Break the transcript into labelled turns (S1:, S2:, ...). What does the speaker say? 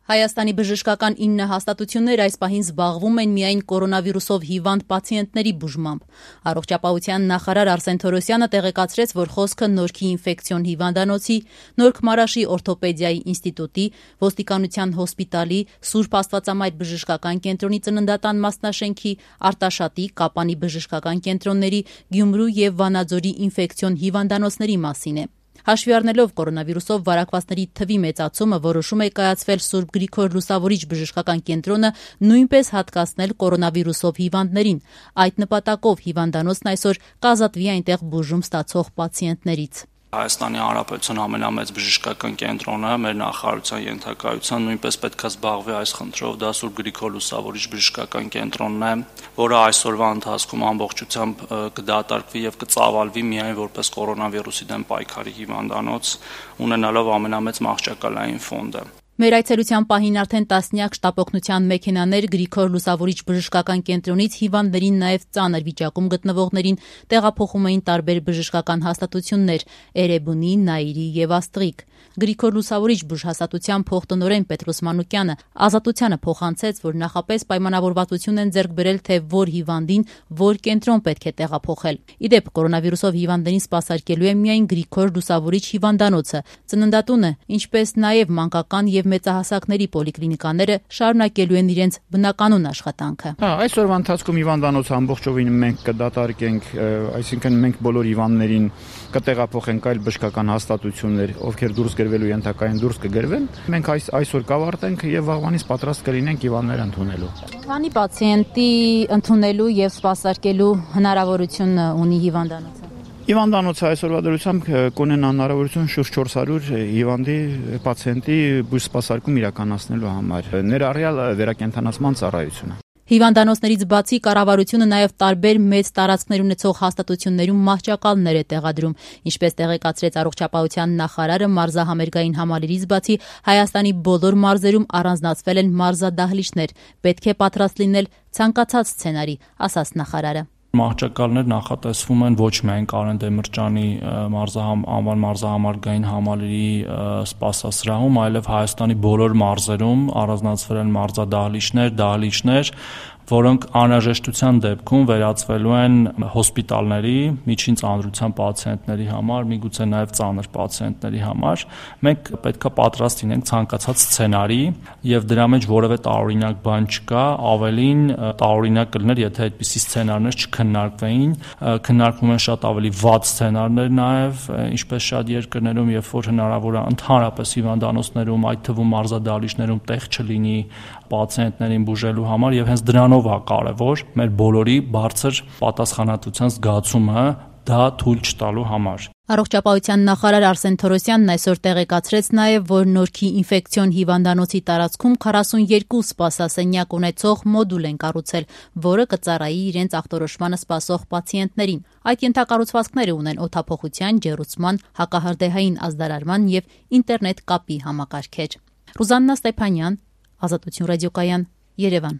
S1: Հայաստանի բժշկական 9 հաստատություններ այս պահին զբաղվում են միայն կորոնավիրուսով հիվանդ պացիենտների բուժմամբ։ Առողջապահության նախարար Արսեն Թորոսյանը տեղեկացրեց, որ խոսքը Նորքի ինֆեկցիոն հիվանդանոցի, Նորք Մարաշի օրթոպեդիայի ինստիտուտի, ոստիկանության հոսպիտալի, Սուրբ Աստվածամայր բժշկական կենտրոնի ծննդատան մասնաշենքի, Արտաշատի, Կապանի բժշկական կենտրոնների, Գյումրու եւ Վանաձորի ինֆեկցիոն հիվանդանոցների մասին է։ Հաշվի առնելով կորոնավիրուսով վարակվածների թվի մեծացումը, որոշում է կայացվել Սուրբ Գրիգոր Լուսավորիչ բժշկական կենտրոնը նույնպես հատկացնել կորոնավիրուսով հիվանդներին։ Այդ նպատակով հիվանդանոցն այսօր կազատվի այնտեղ բուժում ստացող պացիենտներից։
S2: Հայաստանի Հանրապետության ամենամեծ բժշկական կենտրոնը մեր նախարարության ենթակայությամբ նույնպես պետք է զբաղվի այս խնդրով, դա Սուրբ Գրիգոր Լուսավորիչ բժշկական կենտրոնն է, որը այսօրվա ընթացքում ամբողջությամբ կդատարկվի եւ կծավալվի միայն որպես կորոնավիրուսի դեմ պայքարի հիվանդանոց, ունենալով ամենամեծ մահճակալային ֆոնդը։
S1: Մեր այցելության պահին արդեն տասնյակ շտապօգնության մեքենաներ Գրիգոր Լուսավորիչ բժշկական կենտրոնից հիվանդներին նաև ծանր վիճակում գտնվողներին տեղափոխում էին տարբեր բժշկական հաստատություններ՝ Էրեբունի, Նայիրի եւ Աստրիկ։ Գրիգոր Լուսավորիչ բուժհաստատության փոխտնօրեն Պետրոս Մանուկյանը Ազատությանը փոխանցեց, որ նախապես պայմանավորվածություն են ձեռք բերել, թե որ հիվանդին որ կենտրոն պետք է տեղափոխել։ Իդեպ կորոնավիրուսով հիվանդներին սպասարկելու է միայն Գրիգոր Լուսավորիչ հիվանդանոցը, ծննդատունը, ինչպես նաև մանկական եւ մեծահասակների պոլիկլինիկաները շարունակելու են իրենց բնականոն աշխատանքը։
S3: Այսօրվա ընթացքում հիվանդանոցը ամբողջովին մենք կդատարկենք, այսինքն մենք բոլոր հիվանդներին կտեղափոխենք այլ բժշկական հաստատություններ, ովքեր դուրս գրվելու ենթակային դուրս կգրվեն։ Մենք այսօր կավարտենք եւ վաղվանից պատրաստ կլինենք հիվանդներ ընդունելու։
S1: Քանի պացիենտի ընդունելու եւ սպասարկելու հնարավորություն ունի հիվանդանոցը։
S3: Հիվանդանոցը այսօրվա դրությամբ կունենա հնարավորություն շուրջ 400 հիվանդի պացիենտի բուժ սպասարկում իրականացնելու համար, ներառյալ վերակենդանացման ծառայությունը։
S1: Հիվանդանոցներից բացի կառավարությունը նաև տարբեր մեծ տարածքներ ունեցող հաստատություններում մահճակալներ է տեղադրում, ինչպես տեղեկացրեց առողջապահության նախարարը, մարզահամերգային համալիրից բացի Հայաստանի բոլոր մարզերում առանձնացվել են մարզադահլիճներ, պետք է պատրաստ լինել ցանկացած սցենարի, ասաց նախարարը։
S2: Մահճակալներ նախատեսվում են ոչ միայն Կարեն Դեմիրճյանի անվան մարզահամարգային համալիրի սպասասրահում, այլև Հայաստանի բոլոր մարզերում առանձնացվել են դահլիճներ, որոնք անհրաժեշտության դեպքում վերածվելու են հոսպիտալների, միջին ծանրության պացիենտների համար, միգուցե նաև ծանր պացիենտների համար։ Մենք պետք է պատրաստ լինենք ցանկացած սցենարի եւ դրա մեջ որևէ տարօրինակ բան չկա, ավելին տարօրինակ կլիներ, եթե այդպիսի սցենարներ չքննարկվեին, քննարկվում են շատ ավելի վատ սցենարներ նաև, ինչպես շատ երկրներում, երբ որ հնարավոր է ընդհանրապես հիվանդանոցներում, այդ թվում մարզադահլիճներում տեղ չլինի պացիենտներին բուժելու համար եւ հենց դրանով է կարեւոր մեր բոլորի բարձր պատասխանատվության զգացումը դա թույլ չտալու համար։
S1: Առողջապահության նախարար Արսեն Թորոսյանն այսօր տեղեկացրեց նաև, որ Նորքի ինֆեկցիոն հիվանդանոցի տարածքում 42 սպասասենյակ ունեցող մոդուլ են կառուցել, որը կծառայի իրենց ախտորոշմանը սպասող պացիենտներին։ Այդ ենթակառուցվածքները ունեն օդափոխության, ջեռուցման, հակահրդեհային ազդարարման եւ ինտերնետ կապի համակարգեր։ Ռուզաննա Ստեփանյան, Ազատություն ռադիոկայան, Երևան։